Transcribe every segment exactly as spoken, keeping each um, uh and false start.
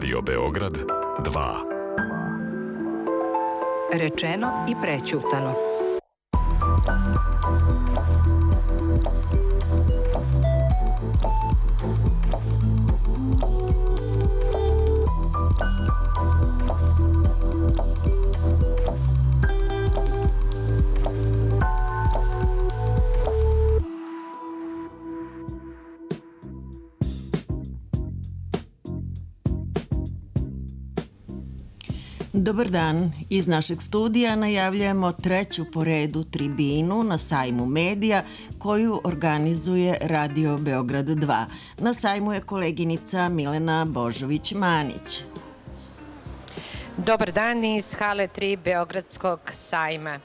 Radio Beograd dva. Rečeno i prećutano. Dobar dan. Iz našeg studija najavljujemo treću po redu tribinu na sajmu medija koju organizuje Radio Beograd dva. Na sajmu je koleginica Milena Božović-Manić. Dobar dan iz hale tri Beogradskog sajma.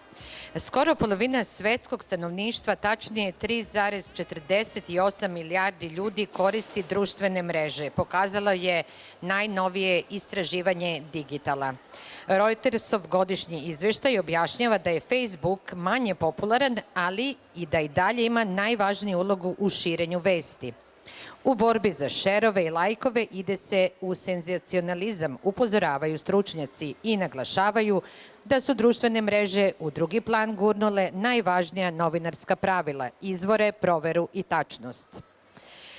Skoro polovina svetskog stanovništva, tačnije tri zarez četrdeset osam milijardi ljudi koristi društvene mreže, pokazalo je najnovije istraživanje Digitala. Reutersov godišnji izveštaj objašnjava da je Facebook manje popularan, ali i da i dalje ima najvažniju ulogu u širenju vesti. U borbi za šerove i lajkove ide se u senzacionalizam, upozoravaju stručnjaci i naglašavaju da su društvene mreže u drugi plan gurnule najvažnija novinarska pravila, izvore, proveru i tačnost.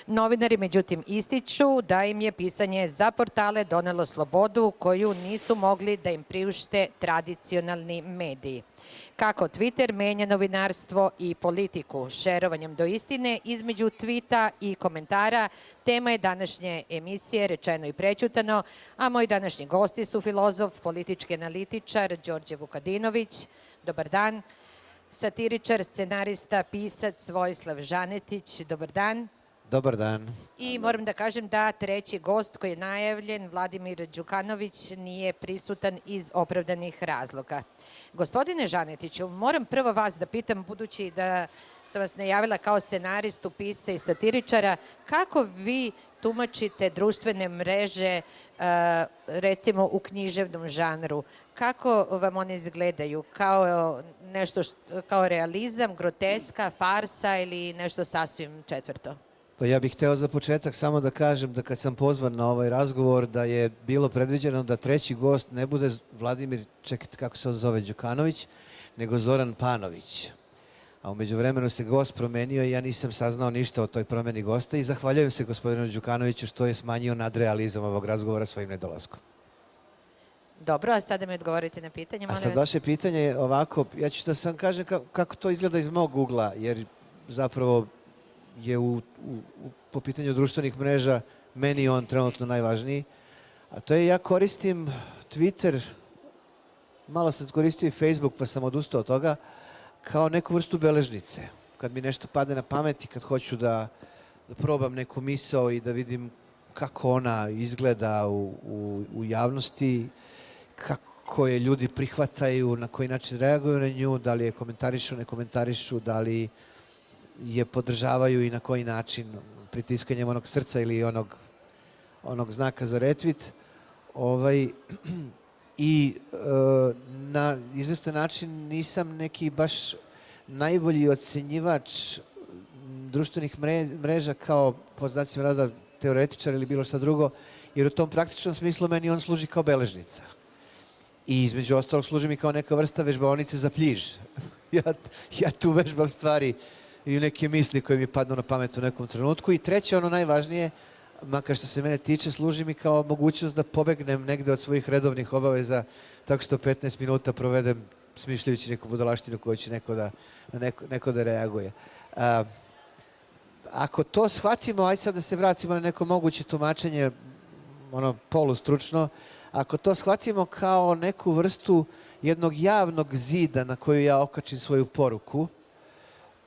Novinari, međutim, ističu da im je pisanje za portale donelo slobodu koju nisu mogli da im priušte tradicionalni mediji. Kako Twitter menja novinarstvo i politiku, šerovanjem do istine između tvita i komentara, tema je današnje emisije Rečeno i prećutano, a moji današnji gosti su filozof, politički analitičar Đorđe Vukadinović. Dobar dan. Satiričar, scenarista, pisac Vojislav Žanetić. Dobar dan. Dobar dan. I moram da kažem da treći gost koji je najavljen, Vladimir Đukanović, nije prisutan iz opravdanih razloga. Gospodine Žanetiću, moram prvo vas da pitam, budući da sam vas najavila kao scenaristu, pisca i satiričara, kako vi tumačite društvene mreže, recimo u književnom žanru? Kako vam one izgledaju? Kao nešto, kao realizam, groteska, farsa ili nešto sasvim četvrto? Pa ja bih hteo za početak samo da kažem da kad sam pozvan na ovaj razgovor da je bilo predviđeno da treći gost ne bude Vladimir, čekajte kako se zove, Đukanović, nego Zoran Panović. A umeđu vremenu se gost promenio i ja nisam saznao ništa o toj promeni gosta i zahvaljujem se gospodinu Đukanoviću što je smanjio nadrealizam ovog razgovora svojim nedolaskom. Dobro, a sada mi odgovorite na pitanje. A sad vaše pitanje je ovako, ja ću da sam kažem kako to izgleda iz mog ugla, jer zapravo je u, u, po pitanju društvenih mreža meni on trenutno najvažniji. A to je ja koristim Twitter, malo sam koristio i Facebook pa sam odustao od toga, kao neku vrstu beležnice. Kad mi nešto padne na pamet i kad hoću da, da probam neku misao i da vidim kako ona izgleda u, u, u javnosti, kako je ljudi prihvataju, na koji način reaguju na nju, da li je komentarišu, ne komentarišu, da li je podržavaju i na koji način, pritiskanjem onog srca ili onog, onog znaka za retvit. Ovaj, I e, na izvestan način nisam neki baš najbolji ocenjivač društvenih mreža kao, pod znacima rada, teoretičar ili bilo šta drugo, jer u tom praktičnom smislu meni on služi kao beležnica. I između ostalog služi mi kao neka vrsta vežbaonice za pljiž. ja, ja tu vežbam stvari i neke misli koje mi padnu na pamet u nekom trenutku. I treće, ono najvažnije, makar što se mene tiče, služi mi kao mogućnost da pobegnem negde od svojih redovnih obaveza tako što petnaest minuta provedem smišljajući neku budalaštinu koju će neko da, neko, neko da reaguje. A, ako to shvatimo, ajde sad da se vratimo na neko moguće tumačenje, ono polustručno, ako to shvatimo kao neku vrstu jednog javnog zida na koju ja okačim svoju poruku,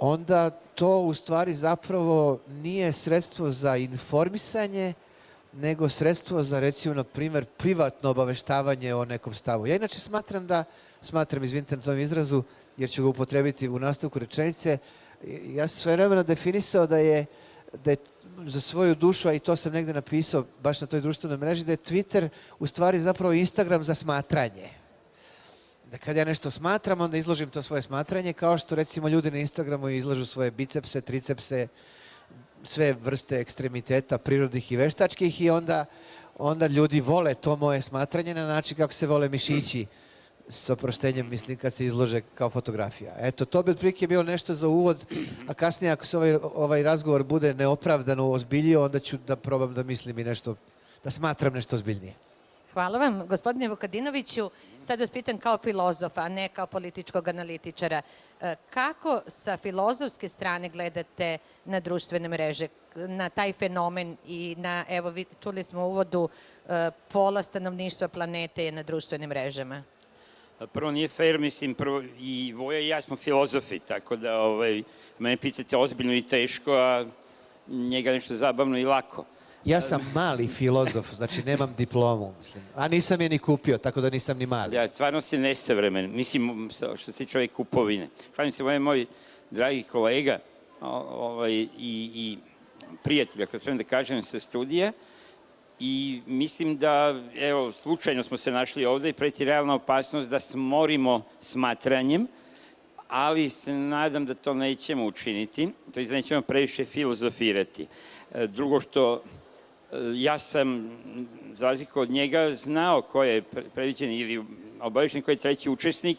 onda to u stvari zapravo nije sredstvo za informisanje, nego sredstvo za, recimo, na primjer, privatno obaveštavanje o nekom stavu. Ja inače smatram da, smatram, izvinite na tom izrazu, jer ću ga upotrebiti u nastavku rečenice, ja sam sve vremena definisao da je, da je za svoju dušu, a i to sam negde napisao baš na toj društvenoj mreži, da je Twitter u stvari zapravo Instagram za smatranje. Da kad ja nešto smatram, onda izložim to svoje smatranje, kao što recimo ljudi na Instagramu izlažu svoje bicepse, tricepse, sve vrste ekstremiteta, prirodnih i veštačkih, i onda onda ljudi vole to moje smatranje na način kako se vole mišići, s oproštenjem, mislim, kad se izlože kao fotografija. Eto, to bi otprilike bilo nešto za uvod, a kasnije ako se ovaj, ovaj razgovor bude neopravdano ozbiljio, onda ću da probam da mislim i nešto, da smatram nešto ozbiljnije. Hvala vam, gospodine Vukadinoviću. Sad vas pitam kao filozofa, a ne kao političkog analitičara. Kako sa filozofske strane gledate na društvene mreže, na taj fenomen i na, evo, čuli smo u uvodu, pola stanovništva planete je na društvenim mrežama? Prvo, nije fair, mislim, prvo, i Voja i ja smo filozofi, tako da ovaj, mene pitate ozbiljno i teško, a njega nešto zabavno i lako. Ja sam mali filozof, znači nemam diplomu, mislim. A nisam je ni kupio, tako da nisam ni mali. Ja, stvarno si nesavremen, mislim, što se čovjek kupovine. Šalim se, ovaj moj dragi kolega ovaj, i, i prijatelj, ako spremam da kažem, sa studija, i mislim da, evo, slučajno smo se našli ovde i preti realna opasnost da smorimo smatranjem, ali se nadam da to nećemo učiniti, to je da nećemo previše filozofirati. Drugo što, ja sam, za razliku od njega, znao ko je predviđen ili obavešten ko je treći učesnik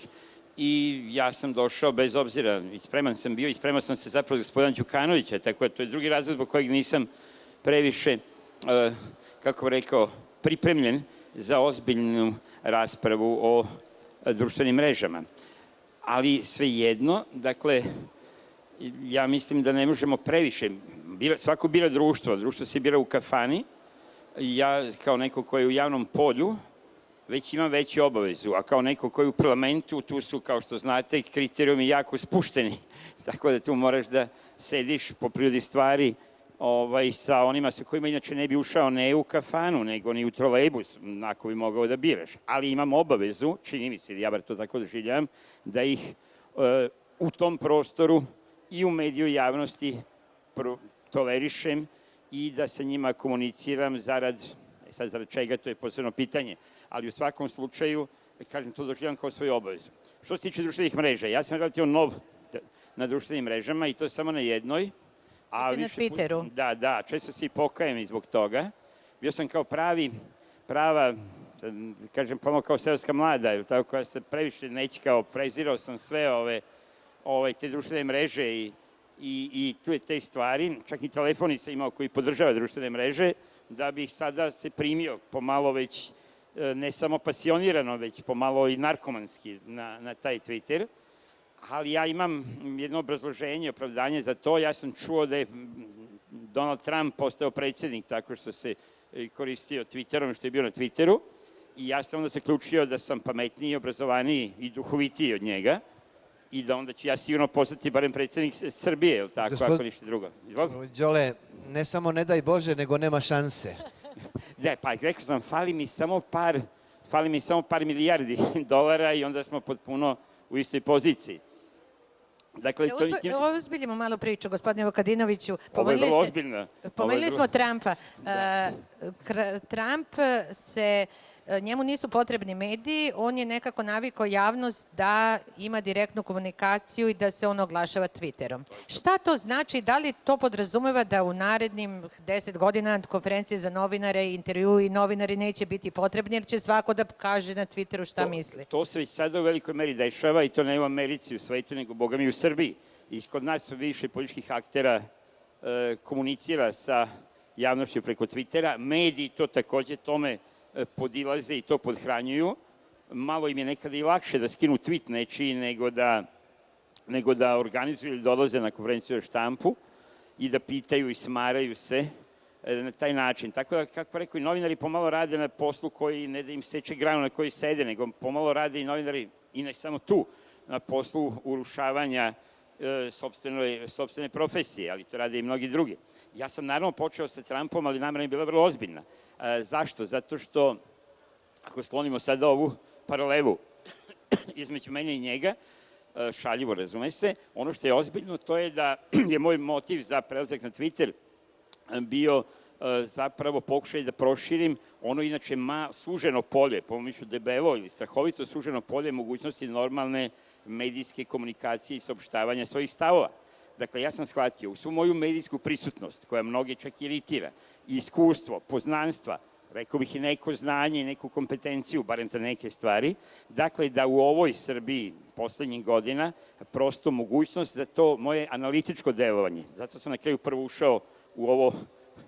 i ja sam došao bez obzira, i spreman sam bio i spreman sam se zapravo gospodina Đukanovića, tako da to je drugi razlog zbog kojeg nisam previše, kako bih rekao, pripremljen za ozbiljnu raspravu o društvenim mrežama. Ali svejedno, dakle, ja mislim da ne možemo previše, svako bira društvo, društvo se bira u kafani, ja kao neko koji je u javnom polju već imam veću obavezu, a kao neko koji je u parlamentu, tu su, kao što znate, kriterijumi jako spušteni, tako da tu moraš da sediš po prirodi stvari ovaj, sa onima sa kojima inače ne bi ušao ne u kafanu, nego ni u trolejbus, ako bi mogao da biraš. Ali imam obavezu, čini mi se, ja bar to tako doživljavam, da ih e, u tom prostoru i u mediju javnosti tolerišem i da sa njima komuniciram zarad, e sad zarad čega, to je posebno pitanje, ali u svakom slučaju, kažem, to doživljavam kao svoju obavezu. Što se tiče društvenih mreža, ja sam relativno nov na društvenim mrežama i to samo na jednoj. A na Twitteru. Put, da, da, često se i pokajem i zbog toga. Bio sam kao pravi, prava, kažem, pomalo kao seoska mlada, ili tako, koja se previše nećkao, prezirao sam sve ove, ove te društvene mreže i, i, i tu je te stvari, čak i telefoni sam imao koji podržava društvene mreže, da bih sada se primio pomalo već, ne samo pasionirano, već pomalo i narkomanski na, na taj Twitter. Ali ja imam jedno obrazloženje, opravdanje za to. Ja sam čuo da je Donald Trump postao predsjednik tako što se koristio Twitterom, što je bio na Twitteru. I ja sam onda zaključio da sam pametniji, obrazovaniji i duhovitiji od njega i da onda ću ja sigurno postati barem predsjednik Srbije, je li tako, Gospod... ako ništa drugo. Đole, ne samo ne daj Bože, nego nema šanse. Da, pa rekao sam, fali mi samo par, fali mi samo par milijardi dolara i onda smo potpuno u istoj poziciji. Dakle, to je... Ovo uzbiljimo malo priču, gospodine Vukadinoviću. Ovo je vrlo ozbiljno. Pomenuli smo Trumpa. Trump se, njemu nisu potrebni mediji, on je nekako navikao javnost da ima direktnu komunikaciju i da se on oglašava Twitterom. Šta to znači? Da li to podrazumeva da u narednim deset godina konferencije za novinare, intervju i novinari neće biti potrebni, jer će svako da kaže na Twitteru šta misli? To se već sada u velikoj meri dešava i to ne u Americi, u svetu, nego boga mi u Srbiji. I kod nas su više političkih aktera e, komunicira sa javnošću preko Twittera. Mediji to takođe tome podilaze i to podhranjuju. Malo im je nekada i lakše da skinu tweet nečiji nego da, nego da organizuju ili dolaze na konferenciju za štampu i da pitaju i smaraju se na taj način. Tako da, kako rekao, i novinari pomalo rade na poslu koji ne da im seče granu na kojoj sede, nego pomalo rade i novinari, i ne samo tu, na poslu urušavanja e, sopstvene, sopstvene profesije, ali to rade i mnogi drugi. Ja sam naravno počeo sa Trumpom, ali namera je bila vrlo ozbiljna. E, zašto? Zato što, ako sklonimo sada ovu paralelu između mene i njega, e, šaljivo razume se, ono što je ozbiljno to je da je moj motiv za prelazak na Twitter bio e, zapravo pokušaj da proširim ono inače ma, suženo polje, po mišlju debelo ili strahovito suženo polje mogućnosti normalne medijske komunikacije i saopštavanja svojih stavova. Dakle, ja sam shvatio u svu moju medijsku prisutnost, koja mnoge čak iritira, iskustvo, poznanstva, rekao bih i neko znanje i neku kompetenciju, barem za neke stvari. Dakle, da u ovoj Srbiji poslednjih godina prosto mogućnost da to moje analitičko delovanje, zato sam na kraju prvo ušao u ovo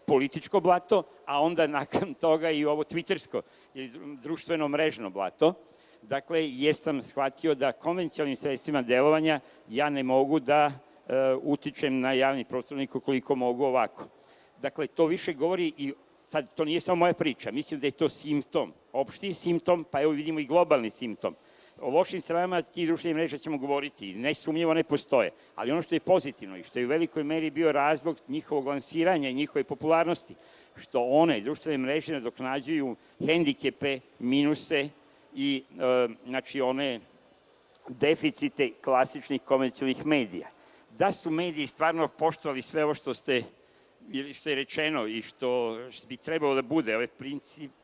političko blato, a onda nakon toga i ovo twittersko ili društveno mrežno blato. Dakle, jer sam shvatio da konvencionalnim sredstvima delovanja ja ne mogu da e, utičem na javni prostor koliko mogu ovako. Dakle, to više govori i sad to nije samo moja priča, mislim da je to simptom, opšti simptom, pa evo vidimo i globalni simptom. O lošim stranama tih društvenih mreža ćemo govoriti, nesumnjivo ne postoje, ali ono što je pozitivno i što je u velikoj meri bio razlog njihovog lansiranja i njihove popularnosti, što one društvene mreže nadoknađuju hendikepe, minuse i e, znači one deficite klasičnih komercijalnih medija. Da su mediji stvarno poštovali sve ovo što ste što je rečeno i što bi trebalo da bude, ove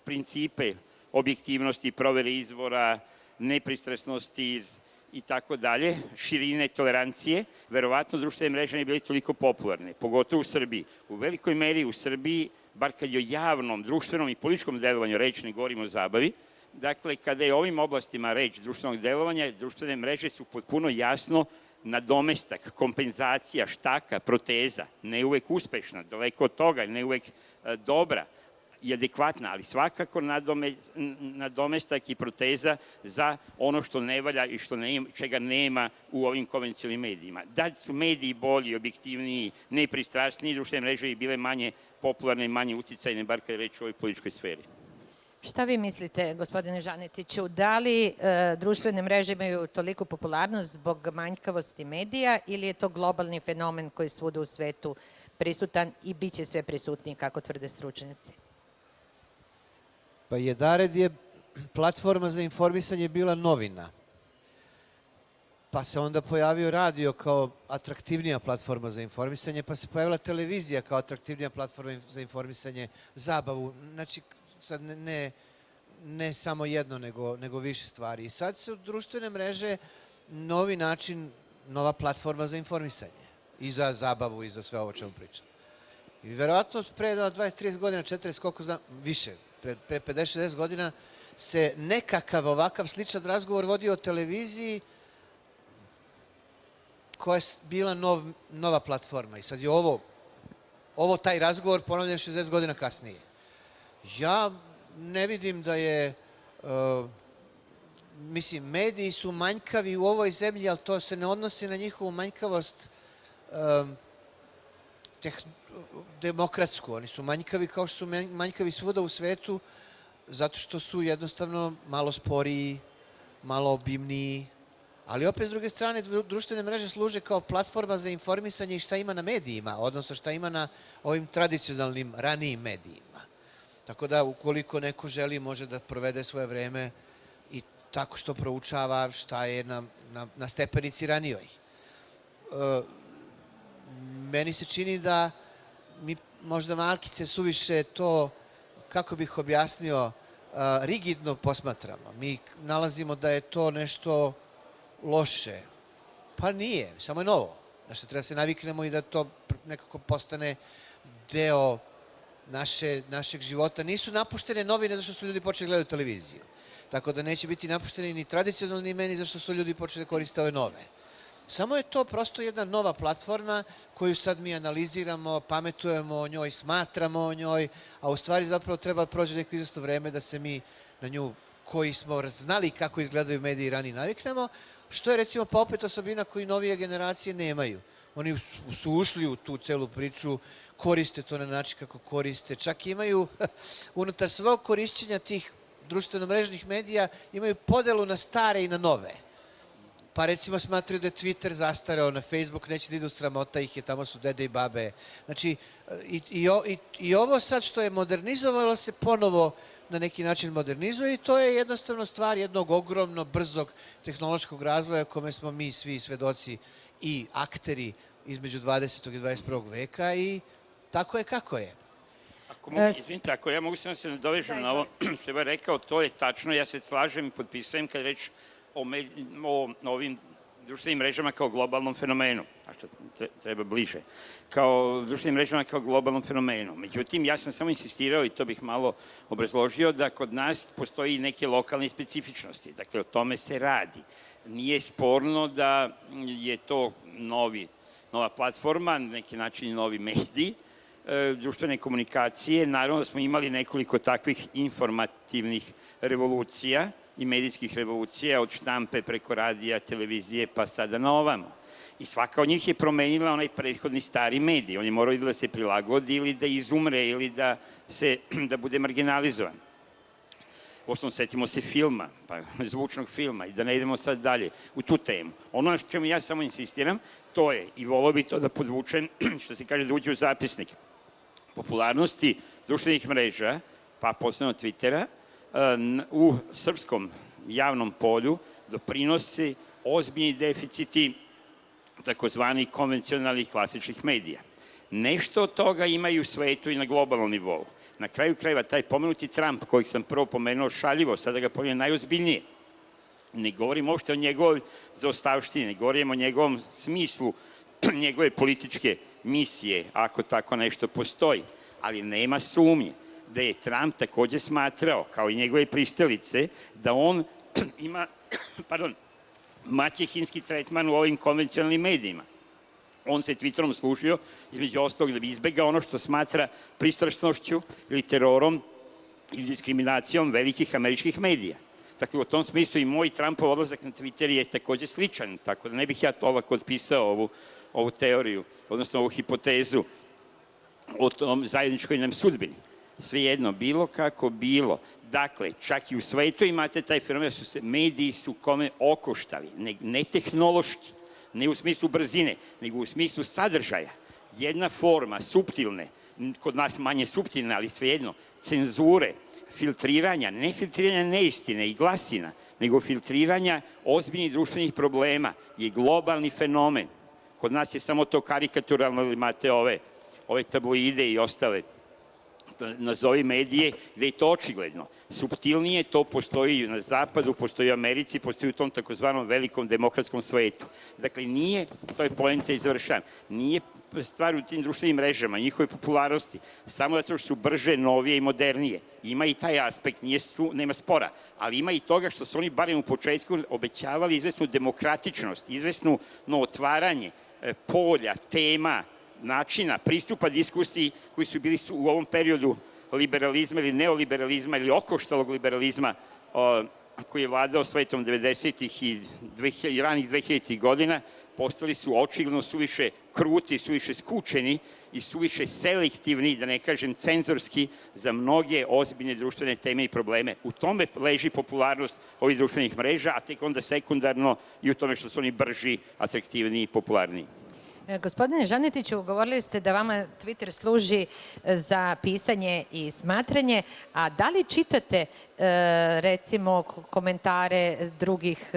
principe objektivnosti, provere izvora, nepristrasnosti i tako dalje, širine, tolerancije, verovatno društvene mreže ne bili toliko popularne, pogotovo u Srbiji. U velikoj meri u Srbiji, bar kad je o javnom, društvenom i političkom delovanju reč, ne govorimo o zabavi, dakle, kada je o ovim oblastima reč društvenog delovanja, društvene mreže su potpuno jasno nadomestak, kompenzacija, štaka, proteza, ne uvek uspešna, daleko od toga, ne uvek e, dobra i adekvatna, ali svakako nadome, nadomestak i proteza za ono što ne valja i što ne, čega nema u ovim konvencionalnim medijima. Da su mediji bolji, objektivniji, nepristrasniji, društvene mreže i bile manje popularne i manje uticajne, bar kada je reč o ovoj političkoj sferi. Šta vi mislite, gospodine Žanetiću, da li e, društvene mreže imaju toliku popularnost zbog manjkavosti medija ili je to globalni fenomen koji je svuda u svetu prisutan i bit će sve prisutniji, kako tvrde stručnjaci? Pa Jedared je platforma za informisanje bila novina. Pa se onda pojavio radio kao atraktivnija platforma za informisanje, pa se pojavila televizija kao atraktivnija platforma za informisanje, zabavu. Znači, sad ne, ne, ne samo jedno, nego, nego više stvari. I sad su društvene mreže novi način, nova platforma za informisanje. I za zabavu i za sve ovo čemu pričam. I verovatno pre dvadeset trideset godina, četrdeset, koliko znam, više, pre, pre pedeset šezdeset godina se nekakav ovakav sličan razgovor vodio o televiziji koja je bila nov, nova platforma. I sad je ovo, ovo taj razgovor ponavljen šezdeset godina kasnije. Ja ne vidim da je, uh, mislim, mediji su manjkavi u ovoj zemlji, ali to se ne odnosi na njihovu manjkavost uh, teh, demokratsku. Oni su manjkavi kao što su manjkavi svuda u svetu, zato što su jednostavno malo sporiji, malo obimniji. Ali opet, s druge strane, društvene mreže služe kao platforma za informisanje i šta ima na medijima, odnosno šta ima na ovim tradicionalnim, ranijim medijima. Tako da, ukoliko neko želi, može da provede svoje vreme i tako što proučava šta je na, na, na stepenici ranijoj. E, meni se čini da mi možda malkice suviše to, kako bih objasnio, rigidno posmatramo. Mi nalazimo da je to nešto loše. Pa nije, samo je novo. Znači, treba se naviknemo i da to nekako postane deo naše, našeg života. Nisu napuštene novine zašto su ljudi počeli gledati televiziju. Tako da neće biti napušteni ni tradicionalni meni zašto su ljudi počeli da koriste ove nove. Samo je to prosto jedna nova platforma koju sad mi analiziramo, pametujemo o njoj, smatramo o njoj, a u stvari zapravo treba prođe neko izvesno vreme da se mi na nju, koji smo znali kako izgledaju mediji ranije, naviknemo, što je recimo pa opet osobina koju novije generacije nemaju. Oni su ušli u tu celu priču, koriste to na način kako koriste, čak imaju unutar svog korišćenja tih društveno-mrežnih medija, imaju podelu na stare i na nove. Pa recimo smatraju da je Twitter zastareo, na Facebook neće da idu, sramota ih je, tamo su dede i babe. Znači, i, i, i, i ovo sad što je modernizovalo se ponovo na neki način modernizuje i to je jednostavno stvar jednog ogromno, brzog tehnološkog razvoja kome smo mi svi svedoci i akteri između dvadesetog i dvadeset prvog veka i tako je kako je. Ako mogu, izvinite, ako ja mogu samo se nadovežem na ovo što je rekao, to je tačno, ja se slažem i potpisujem kad reč o, med, o ovim društvenim mrežama kao globalnom fenomenu, a što treba bliže, kao društvenim mrežama kao globalnom fenomenu. Međutim, ja sam samo insistirao, i to bih malo obrazložio, da kod nas postoji neke lokalne specifičnosti. Dakle, o tome se radi. Nije sporno da je to novi, nova platforma, na neki način novi medij, e, društvene komunikacije. Naravno da smo imali nekoliko takvih informativnih revolucija i medijskih revolucija, od štampe preko radija, televizije, pa sada na ovamo. I svaka od njih je promenila onaj prethodni stari medij. On je morao ili da se prilagodi, ili da izumre, ili da, se, da bude marginalizovan. Uostalom, setimo se filma, pa zvučnog filma, i da ne idemo sad dalje u tu temu. Ono na čemu ja samo insistiram, to je, i volio bih to da podvučem, što se kaže da uđe u zapisnik, popularnosti društvenih mreža, pa posebno Twittera, u srpskom javnom polju doprinosi ozbiljni deficiti takozvanih konvencionalnih klasičnih medija. Nešto od toga imaju u svetu i na globalnom nivou. Na kraju krajeva, taj pomenuti Trump, kojeg sam prvo pomenuo šaljivo, sada ga pomenuo najozbiljnije. Ne govorim uopšte o njegovoj zaostavštini, ne govorim o njegovom smislu, njegove političke misije, ako tako nešto postoji. Ali nema sumnje da je Trump takođe smatrao, kao i njegove pristalice, da on ima, pardon, maćehinski tretman u ovim konvencionalnim medijima. On se Twitterom služio, između ostalog, da bi izbegao ono što smatra pristrašnošću ili terorom ili diskriminacijom velikih američkih medija. Dakle, u tom smislu i moj Trumpov odlazak na Twitter je takođe sličan, tako da ne bih ja to ovako otpisao ovu, ovu teoriju, odnosno ovu hipotezu o tom zajedničkoj nam sudbini. Svejedno, bilo kako bilo. Dakle, čak i u svetu imate taj fenomen, su se mediji su kome okoštali, ne, ne tehnološki, ne u smislu brzine, nego u smislu sadržaja. Jedna forma, suptilne, kod nas manje suptilne, ali svejedno, cenzure, filtriranja, ne filtriranja neistine i glasina, nego filtriranja ozbiljnih društvenih problema je globalni fenomen. Kod nas je samo to karikaturalno, ili imate ove, ove tabloide i ostale nazovi medije, gde je to očigledno. Suptilnije to postoji na zapadu, postoji u Americi, postoji u tom takozvanom velikom demokratskom svetu. Dakle, nije, to je poenta i završavam, nije stvar u tim društvenim mrežama, njihove popularnosti, samo zato što su brže, novije i modernije. Ima i taj aspekt, nije su, nema spora, ali ima i toga što su oni, barem u početku, obećavali izvesnu demokratičnost, izvesnu no, otvaranje polja, tema, načina, pristupa diskusiji koji su bili u ovom periodu liberalizma ili neoliberalizma ili okoštalog liberalizma o, koji je vladao svetom devedesetih i, i ranih dvehiljaditih godina, postali su očigledno suviše kruti, suviše skučeni i suviše selektivni, da ne kažem cenzorski, za mnoge ozbiljne društvene teme i probleme. U tome leži popularnost ovih društvenih mreža, a tek onda sekundarno i u tome što su oni brži, atraktivniji i popularniji. Gospodine Žanetiću, govorili ste da vama Twitter služi za pisanje i smatranje, a da li čitate recimo komentare drugih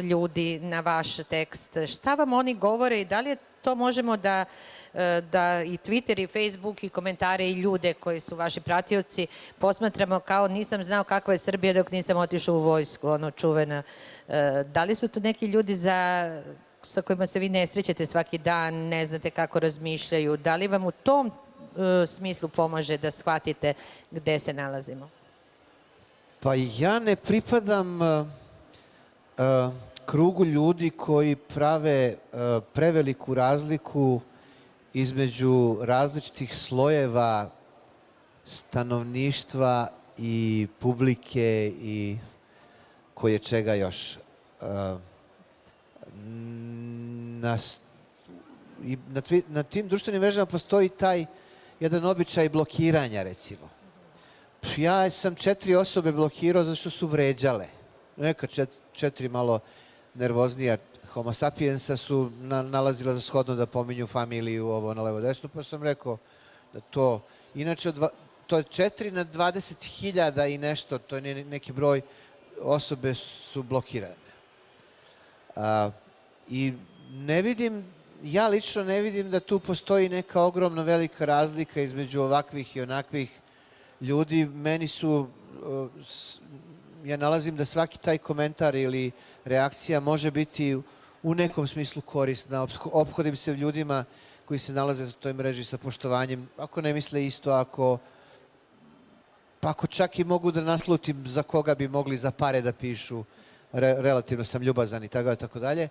ljudi na vaš tekst? Šta vam oni govore i da li to možemo da da i Twitter i Facebook i komentare i ljude koji su vaši pratioci posmatramo kao nisam znao kakva je Srbija dok nisam otišao u vojsku, ono čuvena. Da li su to neki ljudi za sa kojima se vi ne srećete svaki dan, ne znate kako razmišljaju, da li vam u tom uh, smislu pomaže da shvatite gde se nalazimo? Pa ja ne pripadam uh, uh, krugu ljudi koji prave uh, preveliku razliku između različitih slojeva stanovništva i publike i koje čega još. Uh, Na, i na, tvi, na tim društvenim mrežama postoji taj jedan običaj blokiranja, recimo. Ja sam četiri osobe blokirao zato što su vređale. Neka čet, četiri malo nervoznija homo sapiensa su na, nalazila za shodno da pominju familiju, ovo na levo desno, pa sam rekao da to, inače dva, to je četiri na dvadeset hiljada i nešto, to je neki broj, osobe su blokirane. A, I ne vidim, ja lično ne vidim da tu postoji neka ogromno velika razlika između ovakvih i onakvih ljudi. Meni su, ja nalazim da svaki taj komentar ili reakcija može biti u nekom smislu korisna, ophodim se ljudima koji se nalaze u toj mreži sa poštovanjem, ako ne misle isto, ako pa ako čak i mogu da naslutim za koga bi mogli za pare da pišu, re, relativno sam ljubazan i tako, tako dalje.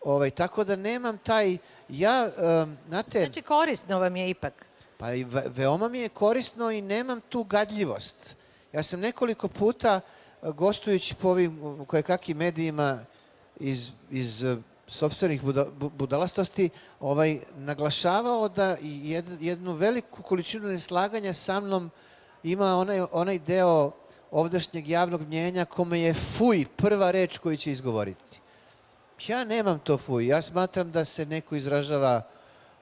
Ovaj, tako da nemam taj, ja, um, znate... Znači korisno vam je ipak. Pa i ve, veoma mi je korisno i nemam tu gadljivost. Ja sam nekoliko puta, gostujući po ovim kojekakim medijima iz, iz sopstvenih buda, budalastosti, ovaj, naglašavao da jed, jednu veliku količinu neslaganja sa mnom ima onaj, onaj deo ovdašnjeg javnog mnjenja kome je fuj prva reč koju će izgovoriti. Ja nemam to fuj. Ja smatram da se neko izražava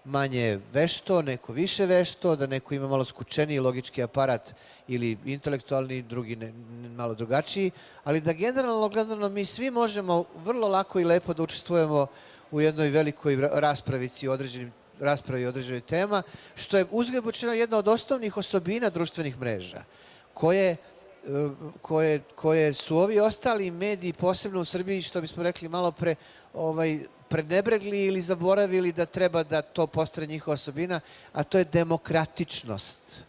manje vešto, neko više vešto, da neko ima malo skučeniji logički aparat ili intelektualni, drugi ne, malo drugačiji, ali da generalno gledano mi svi možemo vrlo lako i lepo da učestvujemo u jednoj velikoj raspravici određenim raspravi određenih tema, što je uzgled bučeno jedna od osnovnih osobina društvenih mreža, koje, koje, koje su ovi ostali mediji, posebno u Srbiji, što bismo rekli malo pre, ovaj, prenebregli ili zaboravili da treba da to postane njihova osobina, a to je demokratičnost.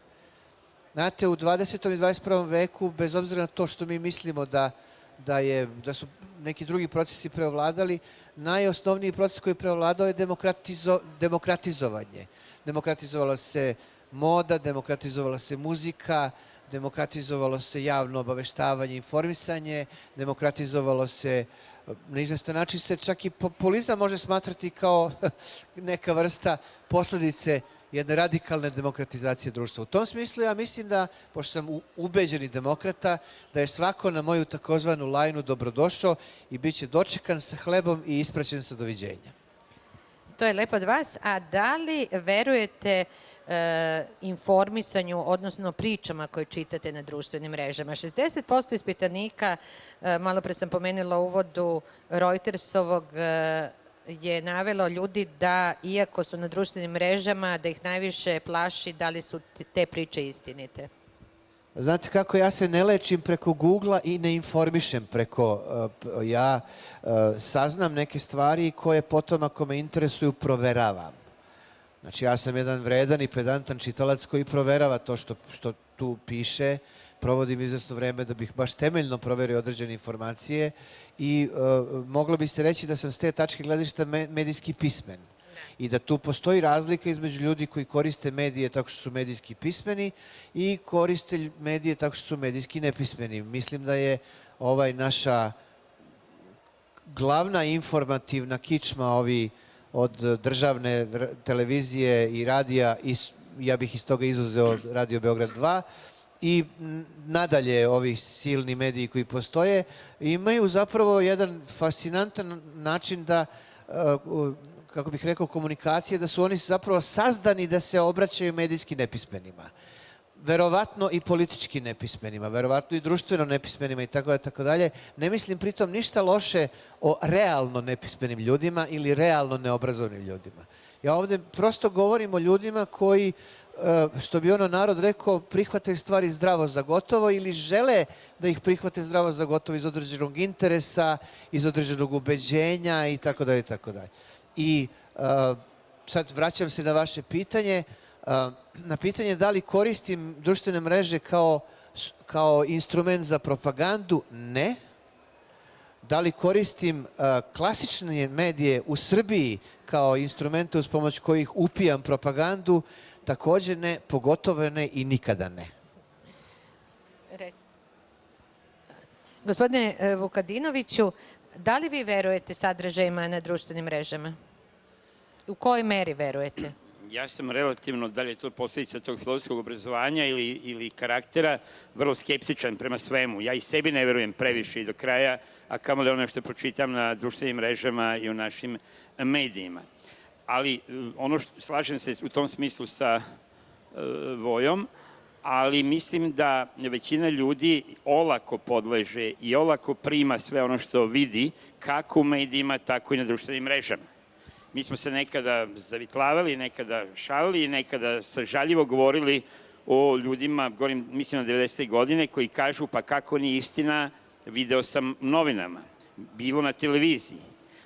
Znate, u dvadesetom i dvadeset prvom veku, bez obzira na to što mi mislimo da, da, je, da su neki drugi procesi preovladali, najosnovniji proces koji je preovladao je demokratizo, demokratizovanje. Demokratizovala se moda, demokratizovala se muzika, demokratizovalo se javno obaveštavanje, informisanje, demokratizovalo se, na izvestan način se čak i populizam može smatrati kao neka vrsta posledice jedne radikalne demokratizacije društva. U tom smislu ja mislim da, pošto sam ubeđeni demokrata, da je svako na moju takozvanu lajnu dobrodošao i bit će dočekan sa hlebom i ispraćen sa doviđenja. To je lepo od vas. A da li verujete e, informisanju, odnosno pričama koje čitate na društvenim mrežama? šezdeset posto ispitanika, e, malo pre sam pomenula u uvodu Reutersovog, e, je navelo ljudi da, iako su na društvenim mrežama, da ih najviše plaši da li su te priče istinite. Znate kako, ja se ne lečim preko Google-a i ne informišem preko, uh, ja uh, saznam neke stvari koje potom, ako me interesuju, proveravam. Znači, ja sam jedan vredan i pedantan čitalac koji proverava to što, što tu piše, provodim izvesno vreme da bih baš temeljno proverio određene informacije i uh, moglo bi se reći da sam s te tačke gledišta me, medijski pismen. I da tu postoji razlika između ljudi koji koriste medije tako što su medijski pismeni i koriste medije tako što su medijski nepismeni. Mislim da je ovaj naša glavna informativna kičma ovi od državne televizije i radija, i ja bih iz toga izuzeo Radio Beograd dva, i nadalje ovi silni mediji koji postoje, imaju zapravo jedan fascinantan način da, kako bih rekao, komunikacije, da su oni zapravo sazdani da se obraćaju medijski nepismenima. Verovatno i politički nepismenima, verovatno i društveno nepismenima i tako da, tako dalje. Ne mislim pritom ništa loše o realno nepismenim ljudima ili realno neobrazovnim ljudima. Ja ovde prosto govorim o ljudima koji, što bi ono narod rekao, prihvataju stvari zdravo za gotovo ili žele da ih prihvate zdravo za gotovo iz određenog interesa, iz određenog ubeđenja i tako dalje i tako dalje. I uh, sad vraćam se na vaše pitanje, uh, na pitanje da li koristim društvene mreže kao, kao instrument za propagandu? Ne. Da li koristim uh, klasične medije u Srbiji kao instrumente uz pomoć kojih upijam propagandu? Takođe ne, pogotovo ne i nikada ne. Recite. Gospodine Vukadinoviću, da li vi verujete sadržajima na društvenim mrežama? U kojoj meri verujete? Ja sam relativno, da li je to posljedica tog filozofskog obrazovanja ili, ili karaktera, vrlo skeptičan prema svemu. Ja i sebi ne verujem previše i do kraja, a kamo da ono što pročitam na društvenim mrežama i u našim medijima. Ali ono što, slažem se u tom smislu sa uh, Vojom, ali mislim da većina ljudi olako podleže i olako prima sve ono što vidi, kako u medijima, tako i na društvenim mrežama. Mi smo se nekada zavitlavali, nekada šalili, nekada sažaljivo govorili o ljudima, govorim, mislim na devedesete godine, koji kažu pa kako nije istina, video sam novinama, bilo na televiziji.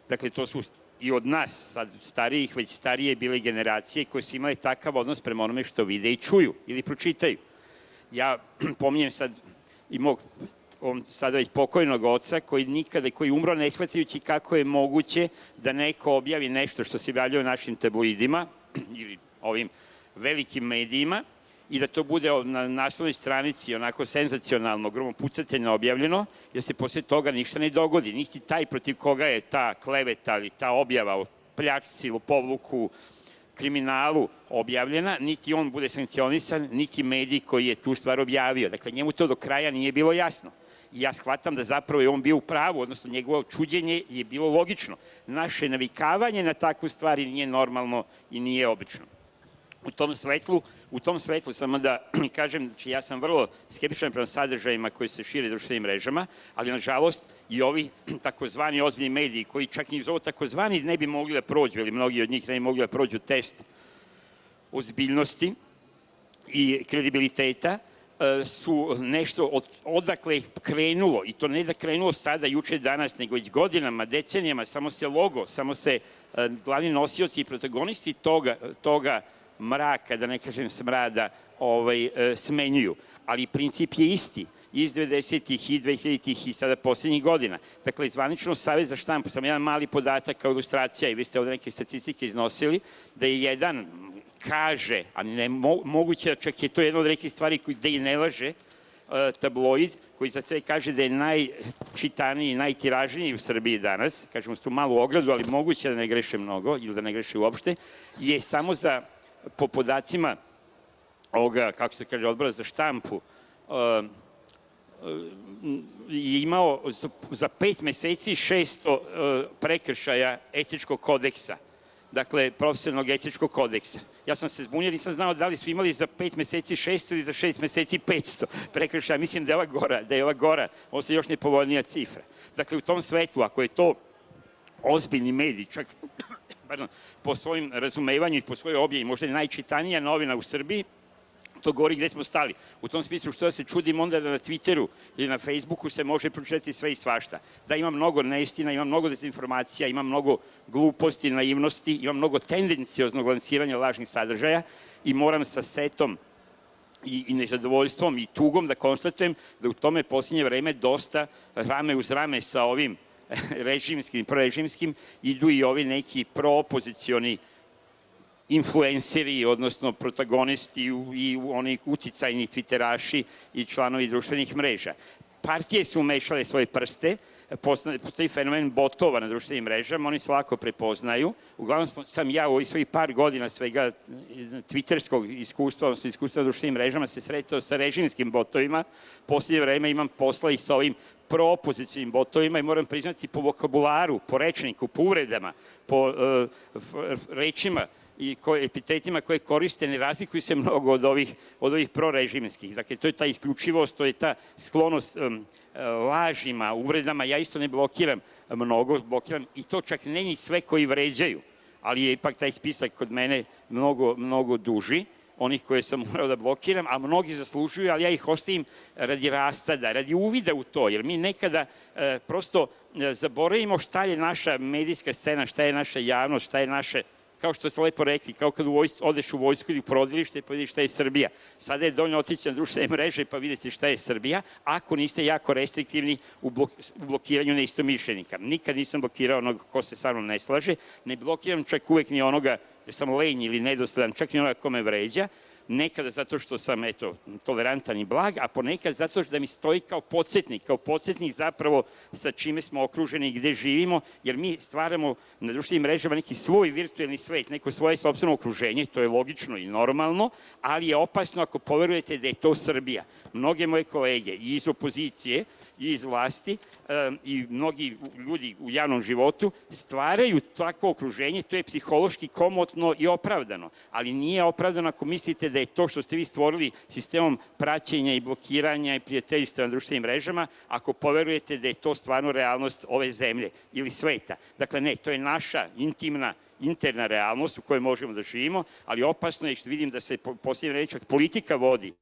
Dakle, to su i od nas, sad starijih, već starije bile generacije koje su imale takav odnos prema onome što vide i čuju ili pročitaju. Ja pominjem sad i mog on sada već pokojnog oca koji nikada, koji umro ne shvatajući kako je moguće da neko objavi nešto što se javljaju našim tabloidima ili ovim velikim medijima i da to bude na naslovnoj stranici onako senzacionalno, gromopucateljno objavljeno, jer se posle toga ništa ne dogodi. Niti taj protiv koga je ta kleveta ili ta objava o pljačci, lopovluku, kriminalu objavljena, niti on bude sankcionisan, niti medij koji je tu stvar objavio. Dakle, njemu to do kraja nije bilo jasno. I ja shvatam da zapravo je on bio u pravu, odnosno njegovo čuđenje je bilo logično. Naše navikavanje na takvu stvari nije normalno i nije obično. U tom svetlu, u tom svetlu samo da kažem, znači ja sam vrlo skeptičan prema sadržajima koji se šire društvenim mrežama, ali nažalost i ovi takozvani ozbiljni mediji koji čak i uz ovo takozvani ne bi mogli da prođu, ili mnogi od njih ne bi mogli da prođu test ozbiljnosti i kredibiliteta, su nešto od, odakle krenulo, i to ne da krenulo sada, juče, danas, nego već godinama, decenijama, samo se logo, samo se glavni nosioci i protagonisti toga, toga mraka, da ne kažem smrada, ovaj, smenjuju. Ali princip je isti, iz devedesetih i dvehiljaditih i sada poslednjih godina. Dakle, zvanično Savez za štampu, samo jedan mali podatak kao ilustracija, i vi ste ovde neke statistike iznosili, da je jedan kaže, a ne mo, moguće da čak je to jedna od rekih stvari gde i ne laže, tabloid, koji za sve kaže da je najčitaniji i najtiražniji u Srbiji danas, kažemo s tu malu ogradu, ali moguće da ne greše mnogo ili da ne greše uopšte, je samo za, po podacima ovoga, kako se kaže, odbora za štampu, uh, je imao za, za pet meseci šesto uh, prekršaja etičkog kodeksa. Dakle, profesionalnog etičkog kodeksa. Ja sam se zbunio, nisam znao da li su imali za pet meseci šesto ili za šest meseci petsto prekršaja. Mislim da je ova gora, da je ova gora, ovo je još nepovoljnija cifra. Dakle, u tom svetlu, ako je to ozbiljni medij, čak pardon, po svojim razumevanju i po svojoj objavi, možda je najčitanija novina u Srbiji, to govori gde smo stali. U tom smislu što da se čudim onda da na Twitteru ili na Facebooku se može pročitati sve i svašta. Da ima mnogo neistina, ima mnogo dezinformacija, ima mnogo gluposti, naivnosti, ima mnogo tendencioznog lansiranja lažnih sadržaja i moram sa setom i, i nezadovoljstvom i tugom da konstatujem da u tome posljednje vreme dosta rame uz rame sa ovim režimskim, prorežimskim idu i ovi neki proopozicioni influenceri, odnosno protagonisti i oni uticajni twitteraši i članovi društvenih mreža. Partije su umešale svoje prste, postoji fenomen botova na društvenim mrežama, oni se lako prepoznaju. Uglavnom sam ja u ovih svojih par godina svega twitterskog iskustva, odnosno iskustva na društvenim mrežama se sretao sa režimskim botovima. Posljednje vreme imam posla i sa ovim proopozicijalnim botovima i moram priznati po vokabularu, po rečniku, po uvredama, po uh, rečima i koje, epitetima koje koriste ne razlikuju se mnogo od ovih, od ovih prorežimskih. Dakle, to je ta isključivost, to je ta sklonost um, lažima, uvredama. Ja isto ne blokiram mnogo, blokiram i to čak ne ni sve koji vređaju, ali je ipak taj spisak kod mene mnogo, mnogo duži, onih koje sam morao da blokiram, a mnogi zaslužuju, ali ja ih ostavim radi rastada, radi uvida u to, jer mi nekada e, prosto e, zaboravimo šta je naša medijska scena, šta je naša javnost, šta je naše, kao što ste lepo rekli, kao kad u vojsku, odeš u vojsku ili u porodilište pa vidiš šta je Srbija. Sada je dovoljno otići na društvene mreže pa vidite šta je Srbija, ako niste jako restriktivni u, blok, u blokiranju neistomišljenika. Nikad nisam blokirao onog ko se sa mnom ne slaže, ne blokiram čak uvek ni onoga jer sam lenj ili nedostadan, čak ni onoga ko me vređa, nekada zato što sam, eto, tolerantan i blag, a ponekad zato što da mi stoji kao podsjetnik, kao podsjetnik zapravo sa čime smo okruženi i gde živimo, jer mi stvaramo na društvenim mrežama neki svoj virtuelni svet, neko svoje sopstveno okruženje, to je logično i normalno, ali je opasno ako poverujete da je to Srbija. Mnoge moje kolege i iz opozicije i iz vlasti um, i mnogi ljudi u javnom životu stvaraju takvo okruženje, to je psihološki komotno i opravdano, ali nije opravdano ako mislite da je to što ste vi stvorili sistemom praćenja i blokiranja i prijateljstva na društvenim mrežama, ako poverujete da je to stvarno realnost ove zemlje ili sveta. Dakle, ne, to je naša intimna, interna realnost u kojoj možemo da živimo, ali opasno je što vidim da se posljednje reći politika vodi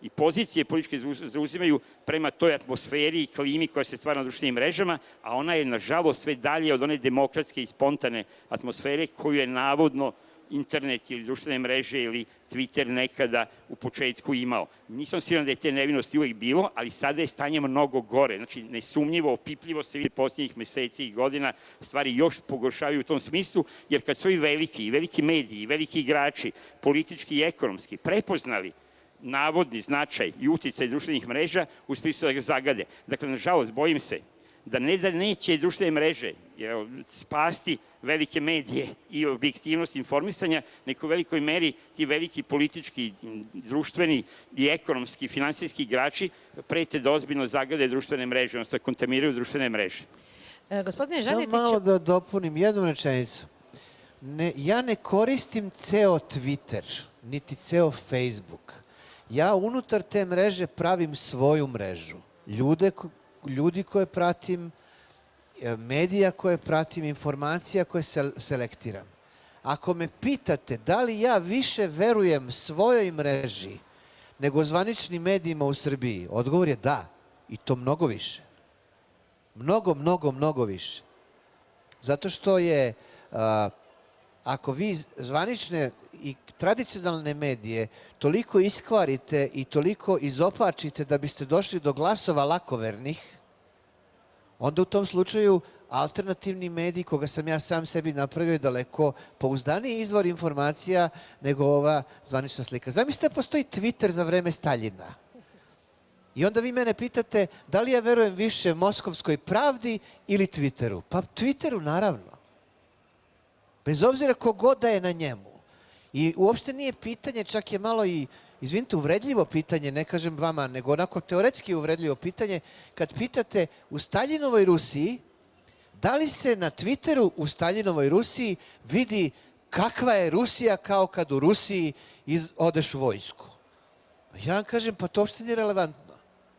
i pozicije političke zauzimaju prema toj atmosferi i klimi koja se stvara na društvenim mrežama, a ona je, nažalost, sve dalje od one demokratske i spontane atmosfere koju je navodno internet ili društvene mreže ili Twitter nekada u početku imao. Nisam siguran da je te nevinosti uvek bilo, ali sada je stanje mnogo gore. Znači, nesumnjivo, opipljivo se vidi posljednjih meseci i godina, stvari još pogoršavaju u tom smislu, jer kad su i veliki, i veliki mediji, i veliki igrači, politički i ekonomski, prepoznali navodni značaj i uticaj društvenih mreža, uspiju su da ga zagade. Dakle, nažalost, bojim se da ne da neće društvene mreže spasti velike medije i objektivnost informisanja, nego u velikoj meri ti veliki politički, društveni i ekonomski, finansijski igrači prete da ozbiljno zagade društvene mreže, odnosno da kontaminiraju društvene mreže. E, gospodine Samo Žanetiću... malo da dopunim jednu rečenicu. Ne, ja ne koristim ceo Twitter, niti ceo Facebook. Ja unutar te mreže pravim svoju mrežu. Ljude ljudi koje pratim, medija koje pratim, informacija koje selektiram. Ako me pitate da li ja više verujem svojoj mreži nego zvaničnim medijima u Srbiji, odgovor je da. I to mnogo više. Mnogo, mnogo, mnogo više. Zato što je, ako vi zvanične i tradicionalne medije toliko iskvarite i toliko izopačite da biste došli do glasova lakovernih, onda u tom slučaju alternativni medij, koga sam ja sam sebi napravio, je daleko pouzdaniji izvor informacija nego ova zvanična slika. Zamislite da postoji Twitter za vreme Staljina. I onda vi mene pitate da li ja verujem više Moskovskoj pravdi ili Twitteru. Pa Twitteru, naravno. Bez obzira kogod da je na njemu. I uopšte nije pitanje, čak je malo i, izvinite, uvredljivo pitanje, ne kažem vama, nego onako teoretski uvredljivo pitanje, kad pitate u Staljinovoj Rusiji, da li se na Twitteru u Staljinovoj Rusiji vidi kakva je Rusija kao kad u Rusiji iz, odeš u vojsku? Ja vam kažem, pa to uopšte nije relevantno.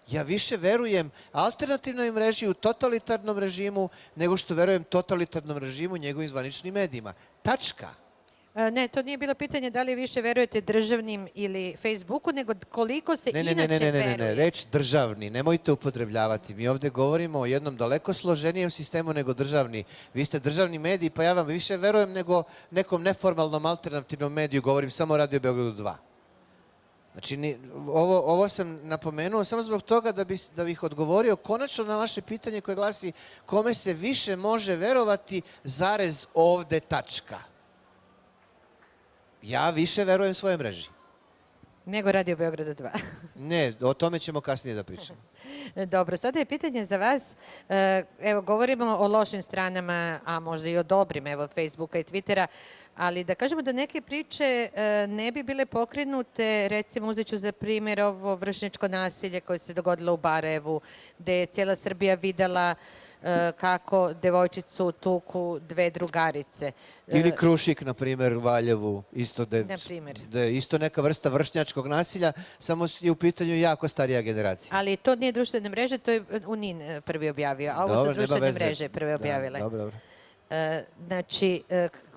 Ja više verujem alternativnoj mreži u totalitarnom režimu nego što verujem totalitarnom režimu njegovim zvaničnim medijima. Tačka. Ne, to nije bilo pitanje da li više verujete državnim ili Facebooku, nego koliko se ne, ne, inače ne, ne, ne, veruje. Ne, ne, reč državni, nemojte upotrebljavati. Mi ovde govorimo o jednom daleko složenijem sistemu nego državni. Vi ste državni mediji, pa ja vam više verujem nego nekom neformalnom alternativnom mediju, govorim samo o Radio Beogradu dva. Znači, ni, ovo, ovo sam napomenuo samo zbog toga da, bi, da bih odgovorio konačno na vaše pitanje koje glasi kome se više može verovati zarez ovde tačka. Ja više verujem svojoj mreži. Nego Radio Beogradu dva. Ne, o tome ćemo kasnije da pričamo. Dobro, sada je pitanje za vas. Evo, govorimo o lošim stranama, a možda i o dobrim, evo, Facebooka i Twittera, ali da kažemo da neke priče ne bi bile pokrenute, recimo uzet ću za primjer ovo vršnjačko nasilje koje se dogodilo u Barajevu, gde je cijela Srbija videla kako devojčicu tuku dve drugarice. Ili Krušik, na primjer, u Valjevu, isto da je isto neka vrsta vršnjačkog nasilja, samo je u pitanju jako starija generacija. Ali to nije društvene mreže, to je U N I N prvi objavio, a ovo su društvene mreže prve objavile. Dobro, dobro. Znači,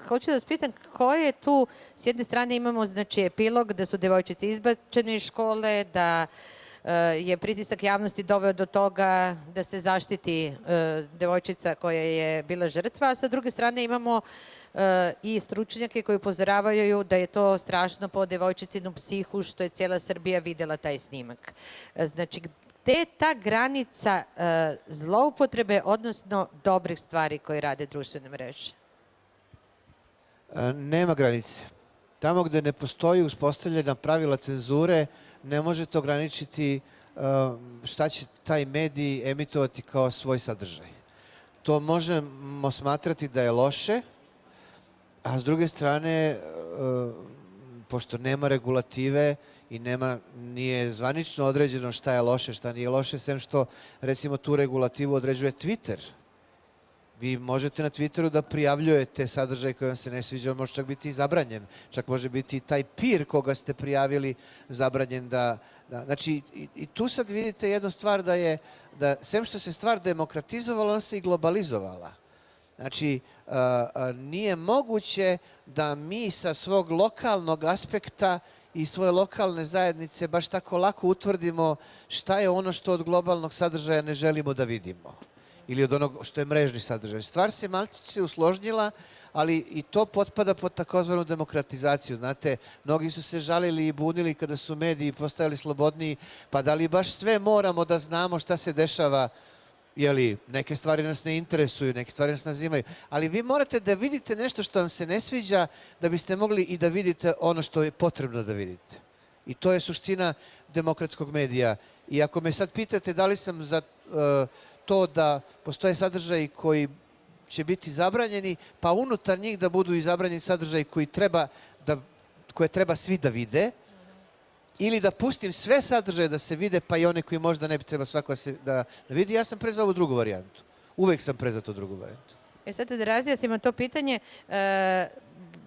hoću da vas pitam, koje je tu, s jedne strane imamo, znači, epilog da su devojčice izbačene iz škole, da je pritisak javnosti doveo do toga da se zaštiti devojčica koja je bila žrtva, a sa druge strane imamo i stručnjake koji upozoravaju da je to strašno po devojčicinu psihu što je cijela Srbija videla taj snimak. Znači, gde je ta granica zloupotrebe, odnosno dobrih stvari koje rade društvene mreže? Nema granice. Tamo gde ne postoji uspostavljena pravila cenzure, ne možete ograničiti šta će taj medij emitovati kao svoj sadržaj. To možemo smatrati da je loše, a s druge strane, pošto nema regulative i nema, nije zvanično određeno šta je loše, šta nije loše, sem što, recimo, tu regulativu određuje Twitter. Vi možete na Twitteru da prijavljujete sadržaj koji vam se ne sviđa, on može čak biti i zabranjen. Čak može biti i taj peer koga ste prijavili zabranjen da... Znači, i tu sad vidite jednu stvar da je, da sem što se stvar demokratizovala, ona se i globalizovala. Znači, nije moguće da mi sa svog lokalnog aspekta i svoje lokalne zajednice baš tako lako utvrdimo šta je ono što od globalnog sadržaja ne želimo da vidimo ili od onog što je mrežni sadržaj. Stvar se malčice usložnjila, ali i to potpada pod takozvanu demokratizaciju. Znate, mnogi su se žalili i bunili kada su mediji postajali slobodniji, pa da li baš sve moramo da znamo šta se dešava, jeli, neke stvari nas ne interesuju, neke stvari nas nazimaju, ali vi morate da vidite nešto što vam se ne sviđa da biste mogli i da vidite ono što je potrebno da vidite. I to je suština demokratskog medija. I ako me sad pitate da li sam za uh, to da postoje sadržaji koji će biti zabranjeni, pa unutar njih da budu i zabranjeni sadržaji koji treba da, koje treba svi da vide, ili da pustim sve sadržaje da se vide, pa i one koji možda ne bi treba svako da, se, da, da vidi, ja sam pre za ovu drugu varijantu. Uvek sam pre za to drugu varijantu. E sad da razjasnimo to pitanje, e,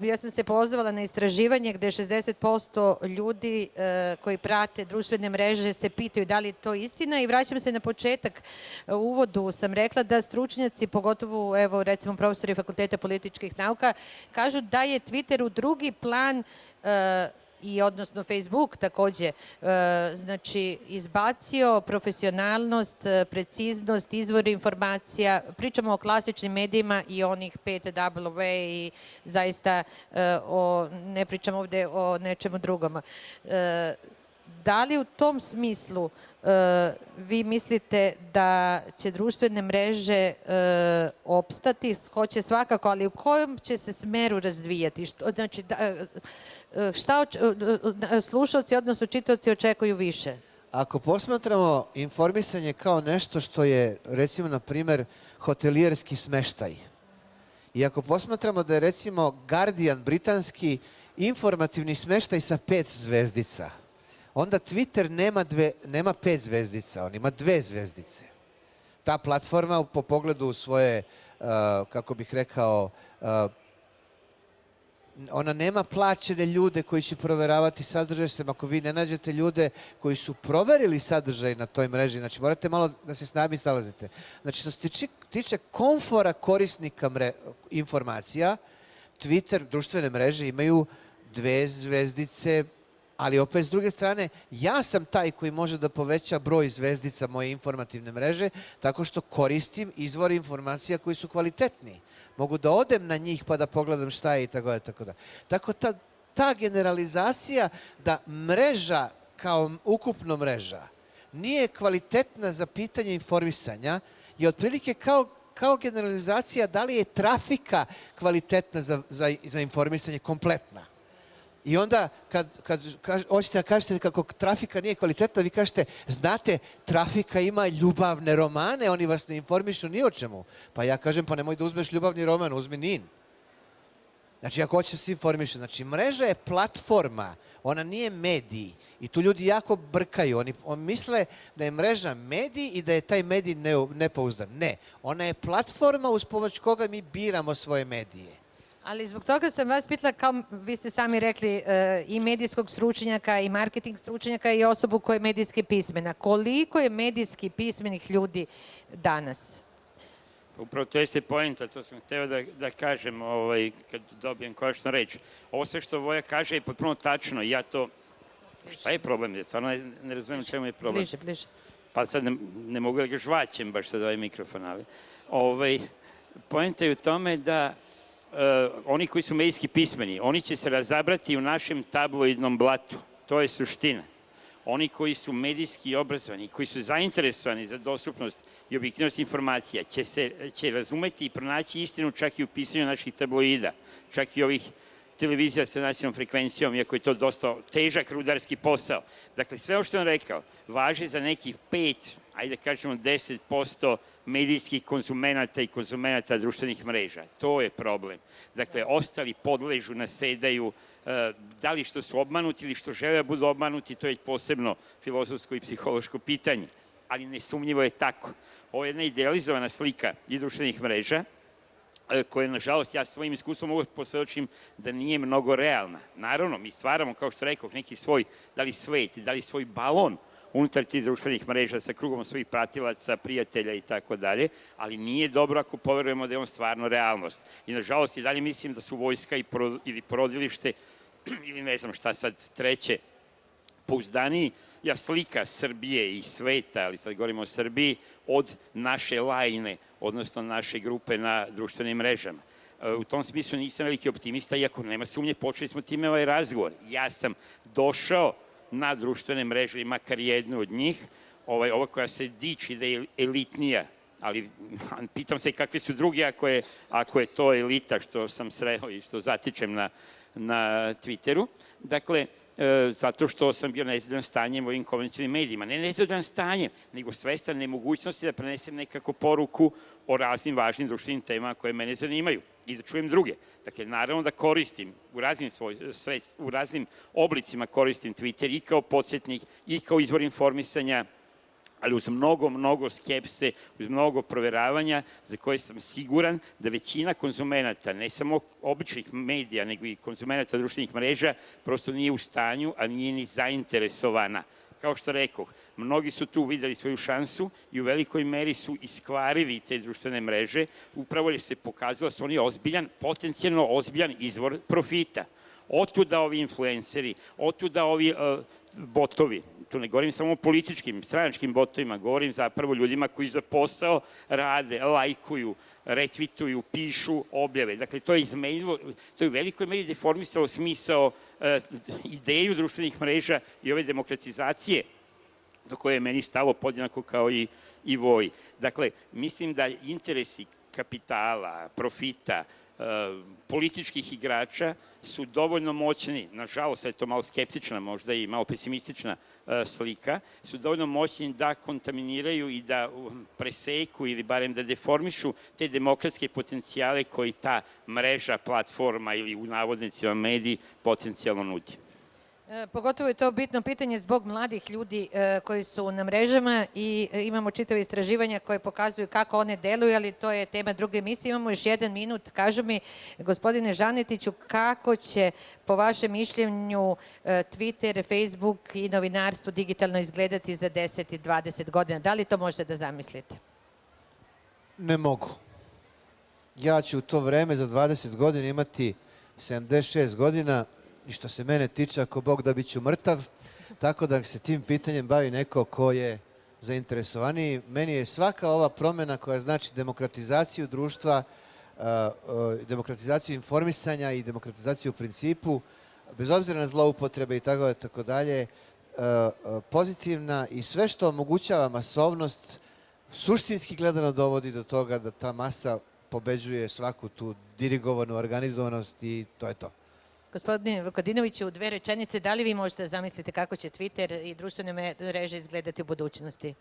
ja sam se pozvala na istraživanje gde šezdeset posto ljudi e, koji prate društvene mreže se pitaju da li je to istina i vraćam se na početak. U uvodu sam rekla da stručnjaci, pogotovo evo recimo profesori Fakulteta političkih nauka, kažu da je Twitter u drugi plan e, i odnosno Facebook takođe, e, znači izbacio profesionalnost, preciznost, izvor informacija, pričamo o klasičnim medijima i onih pet W i zaista e, o, ne pričamo ovde o nečemu drugom. E, da li u tom smislu e, vi mislite da će društvene mreže e, opstati, hoće svakako, ali u kojem će se smeru razvijati? Što, znači, da, šta slušalci, odnosno čitaoci očekuju više? Ako posmatramo informisanje kao nešto što je, recimo, na primer, hotelijerski smeštaj, i ako posmatramo da je, recimo, Guardian britanski informativni smeštaj sa pet zvezdica, onda Twitter nema, dve, nema pet zvezdica, on ima dve zvezdice. Ta platforma po pogledu svoje, uh, kako bih rekao, uh, ona nema plaćene ljude koji će proveravati sadržaj, sem ako vi ne nađete ljude koji su proverili sadržaj na toj mreži, znači morate malo da se s nami salazite. Znači, što se tiče, tiče komfora korisnika mre, informacija, Twitter, društvene mreže imaju dve zvezdice, ali opet s druge strane, ja sam taj koji može da poveća broj zvezdica moje informativne mreže tako što koristim izvore informacija koji su kvalitetni. Mogu da odem na njih pa da pogledam šta je i tako da, tako da. Tako ta, ta generalizacija da mreža kao ukupno mreža nije kvalitetna za pitanje informisanja je otprilike kao, kao generalizacija da li je trafika kvalitetna za, za, za informisanje kompletna. I onda, kad, kad kaž, hoćete da kažete kako trafika nije kvalitetna, vi kažete, znate, trafika ima ljubavne romane, oni vas ne informišu ni o čemu. Pa ja kažem, pa nemoj da uzmeš ljubavni roman, uzmi Nin. Znači, ako hoćeš da se informiše. Znači, mreža je platforma, ona nije medij. I tu ljudi jako brkaju. Oni, oni misle da je mreža medij i da je taj medij ne, nepouzdan. Ne, ona je platforma uz pomoć koga mi biramo svoje medije. Ali zbog toga sam vas pitala, kao vi ste sami rekli, i medijskog stručnjaka, i marketing stručnjaka, i osobu koja je medijski pismena. Koliko je medijski pismenih ljudi danas? Upravo to jeste poenta, to sam hteo da, da kažem ovaj, kad dobijem konačno reč. Ovo sve što Voja kaže je potpuno tačno. Ja to... Šta je problem? Ja stvarno ne, ne razumijem čemu je problem. Bliže, bliže. Pa sad ne, ne mogu da ga žvaćem baš sad ovaj mikrofon, ali... Ovaj, poenta je u tome da Uh, oni koji su medijski pismeni, oni će se razabrati u našem tabloidnom blatu. To je suština. Oni koji su medijski obrazovani, koji su zainteresovani za dostupnost i objektivnost informacija, će, se, će razumeti i pronaći istinu čak i u pisanju naših tabloida, čak i ovih televizija sa nacionalnom frekvencijom, iako je to dosta težak rudarski posao. Dakle, sve ovo što je on rekao, važi za nekih pet, ajde da kažemo deset posto medijskih konzumenata i konzumenata društvenih mreža. To je problem. Dakle, ostali podležu, nasedaju, da li što su obmanuti ili što žele da budu obmanuti, to je posebno filozofsko i psihološko pitanje. Ali nesumnjivo je tako. Ovo je jedna idealizovana slika i društvenih mreža, koje, nažalost, ja svojim iskustvom mogu posvedočim da nije mnogo realna. Naravno, mi stvaramo, kao što rekao, neki svoj, da li svet, da li svoj balon unutar tih društvenih mreža sa krugom svojih pratilaca, prijatelja i tako dalje, ali nije dobro ako poverujemo da je on stvarno realnost. I, nažalost, i dalje mislim da su vojska i pro, ili porodilište ili ne znam šta sad treće, pouzdaniji ja slika Srbije i sveta, ali sad govorimo o Srbiji, od naše lajne, odnosno naše grupe na društvenim mrežama. U tom smislu nisam veliki optimista, iako nema sumnje, počeli smo time ovaj razgovor. Ja sam došao na društvene mreže, makar jednu od njih, ovaj, ova koja se diči da je elitnija, ali pitam se kakvi su drugi ako je, ako je to elita što sam sreo i što zatičem na, na Twitteru. Dakle, e, zato što sam bio nezadovoljan stanjem u ovim konvencionalnim medijima. Ne nezadovoljan stanjem, nego svestan nemogućnosti da prenesem nekako poruku o raznim važnim društvenim temama koje mene zanimaju i da čujem druge. Dakle, naravno da koristim u raznim, svoj, u raznim oblicima koristim Twitter i kao podsjetnik i kao izvor informisanja, ali uz mnogo, mnogo skepse, uz mnogo proveravanja za koje sam siguran da većina konzumenata, ne samo običnih medija, nego i konzumenata društvenih mreža, prosto nije u stanju, a nije ni zainteresovana. Kao što rekoh, mnogi su tu videli svoju šansu i u velikoj meri su iskvarili te društvene mreže, upravo jer se pokazalo da su oni ozbiljan, potencijalno ozbiljan izvor profita. Otuda ovi influenceri, otuda ovi uh, botovi, tu ne govorim samo o političkim, stranačkim botovima, govorim zapravo ljudima koji za posao rade, lajkuju, retvituju, pišu objave. Dakle, to je izmenilo, to je u velikoj meri deformisalo smisao, uh, ideju društvenih mreža i ove demokratizacije do koje je meni stalo podjednako kao i, i Voji. Dakle, mislim da interesi kapitala, profita, političkih igrača su dovoljno moćni, nažalost je to malo skeptična, možda i malo pesimistična slika, su dovoljno moćni da kontaminiraju i da preseku ili barem da deformišu te demokratske potencijale koji ta mreža, platforma ili u navodnicima mediji potencijalno nudi. Pogotovo je to bitno pitanje zbog mladih ljudi e, koji su na mrežama i e, imamo čitave istraživanja koje pokazuju kako one deluju, ali to je tema druge emisije. Imamo još jedan minut. Kažu mi, gospodine Žanetiću, kako će po vašem mišljenju e, Twitter, Facebook i novinarstvo digitalno izgledati za deset i dvadeset godina? Da li to možete da zamislite? Ne mogu. Ja ću u to vreme za dvadeset godina imati sedamdeset šest godina, i što se mene tiče, ako Bog da, bit ću mrtav, tako da se tim pitanjem bavi neko ko je zainteresovaniji. Meni je svaka ova promjena koja znači demokratizaciju društva, demokratizaciju informisanja i demokratizaciju u principu, bez obzira na zloupotrebe i tako, tako dalje, pozitivna i sve što omogućava masovnost, suštinski gledano dovodi do toga da ta masa pobeđuje svaku tu dirigovanu organizovanost i to je to. Gospodine Vukadinoviću, u dve rečenice, da li vi možete zamisliti kako će Twitter i društvene mreže izgledati u budućnosti?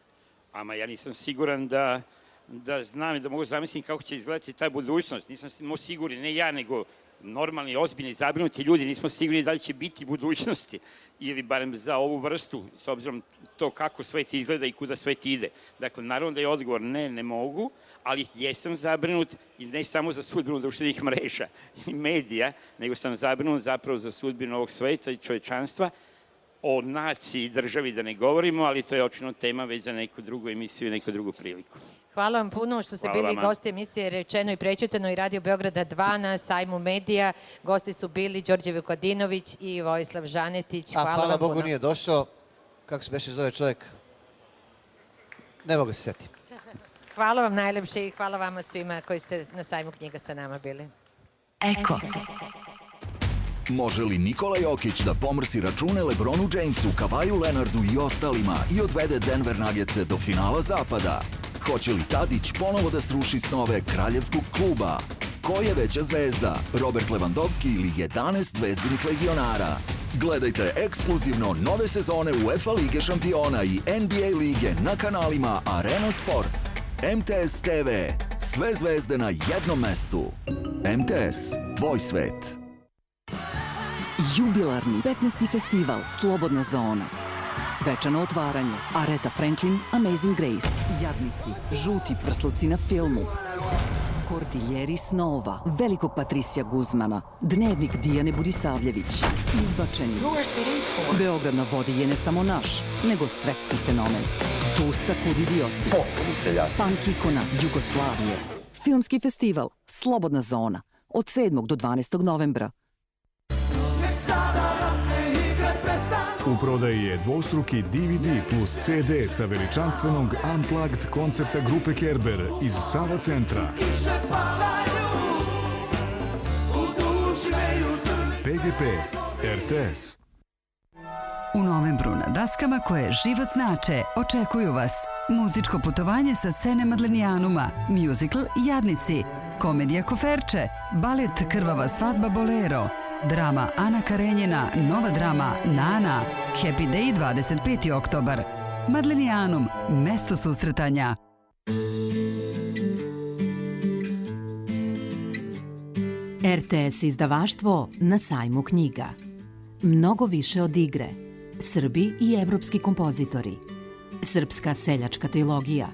Ama ja nisam siguran da, da znam i da mogu zamisliti kako će izgledati ta budućnost. Nisam sigurni, ne ja, nego normalni, ozbiljni, zabrinuti ljudi, nismo sigurni da li će biti budućnosti ili barem za ovu vrstu, s obzirom to kako svet izgleda i kuda svet ide. Dakle, naravno da je odgovor ne, ne mogu, ali jesam zabrinut i ne samo za sudbinu društvenih mreža i medija, nego sam zabrinut zapravo za sudbinu ovog sveta i čovečanstva. O naciji i državi da ne govorimo, ali to je očino tema već za neku drugu emisiju i neku drugu priliku. Hvala vam puno što ste Hvala bili vama. gosti emisije Rečeno i prećutano i Radio Beograda dva na sajmu medija. Gosti su bili Đorđe Vukadinović i Vojislav Žanetić. Hvala, A hvala vam Bogu puno. nije došao. Kako se beše zove čovjek? Ne mogu se setiti. Hvala vam najlepše i hvala vama svima koji ste na sajmu knjiga sa nama bili. Eko. Može li Nikola Jokić da pomrsi račune LeBronu Jamesu, Kavaju Leonardu i ostalima i odvede Denver Nuggetse do finala zapada? Hoće li Tadić ponovo da sruši snove kraljevskog kluba? Ko je veća zvezda, Robert Lewandowski ili jedanaest zvezdinih legionara? Gledajte ekskluzivno nove sezone UEFA Lige šampiona i N B A lige na kanalima Arena Sport. M T S T V. Sve zvezde na jednom mestu. M T S. Tvoj svet. Jubilarni petnaesti festival Slobodna zona. Svečano otvaranje. Aretha Franklin, Amazing Grace. Jadnici, žuti prsluci na filmu. Kordiljeri snova, velikog Patrisija Guzmana, dnevnik Dijane Budisavljević. Izbačeni. Beograd na vodi je ne samo naš, nego svetski fenomen. Tusta kud idioti. Punk ikona Jugoslavije. Filmski festival Slobodna zona od sedmog do dvanaestog novembra. U prodaji je dvostruki D V D plus C D sa veličanstvenog Unplugged koncerta grupe Kerber iz Sava centra. P G P, R T S. U novembru na daskama koje život znače očekuju vas muzičko putovanje sa scene Madlenijanuma, musical Jadnici, komedija Koferče, balet Krvava svadba Bolero, drama Ana Karenjina, nova drama Nana, Happy Day dvadeset peti oktobar. Madlenijanum, mesto susretanja. R T S izdavaštvo na sajmu knjiga. Mnogo više od igre. Srbi i evropski kompozitori. Srpska seljačka trilogija.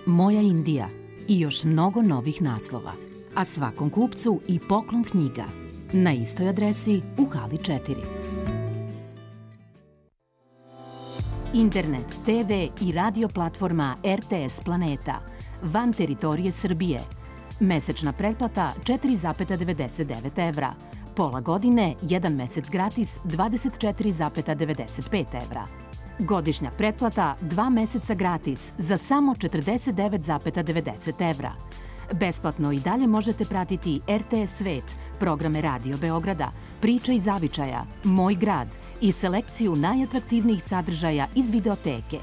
Moja Indija i još mnogo novih naslova. A svakom kupcu i poklon knjiga. Na istoj adresi u hali četiri. Internet, T V i radio platforma R T S Planeta. Van teritorije Srbije. Mesečna pretplata četiri zarez devedeset devet evra. Pola godine, jedan mesec gratis, dvadeset četiri zarez devedeset pet evra. Godišnja pretplata, dva meseca gratis, za samo četrdeset devet zarez devedeset evra. Besplatno i dalje možete pratiti R T S Svet, programe Radio Beograda, Priča i zavičaja, Moj grad i selekciju najatraktivnijih sadržaja iz videoteke.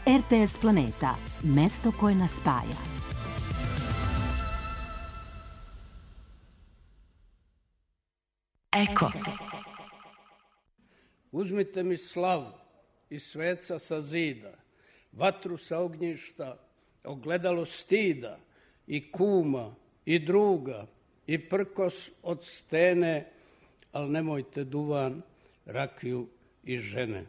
R T S Planeta, mesto koje nas spaja. Eko. Uzmite mi slavu i sveca sa zida, vatru sa ognjišta, ogledalo stida, i kuma, i druga, i prkos od stene, al nemojte duvan, rakiju i žene.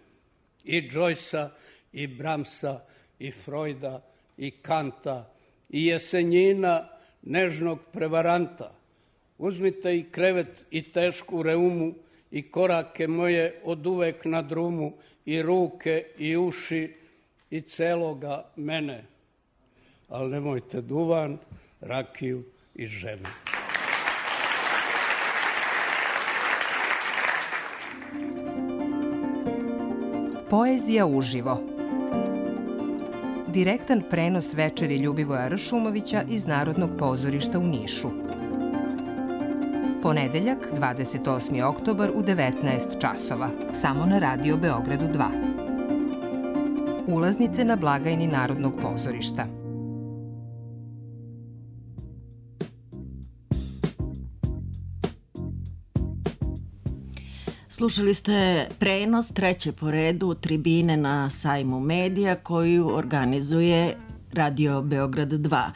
I Džojsa, i Bramsa, i Frojda, i Kanta, i Jesenjina, nežnog prevaranta. Uzmite i krevet i tešku reumu i korake moje od uvek na drumu i ruke i uši i celoga mene. Ali nemojte duvan, rakiju i žene. Poezija uživo. Direktan prenos večeri Ljubivoja Ršumovića iz Narodnog pozorišta u Nišu. Ponedeljak, dvadeset osmi oktobar u devetnaest časova, samo na Radio Beogradu dva. Ulaznice na blagajni Narodnog pozorišta. Slušali ste prenos treće po redu tribine na sajmu medija koju organizuje Radio Beograd dva.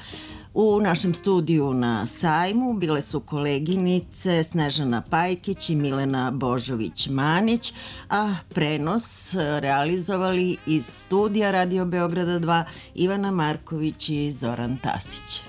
U našem studiju na sajmu bile su koleginice Snežana Pajkić i Milena Božović-Manić, a prenos realizovali iz studija Radio Beograda dva Ivana Marković i Zoran Tasić.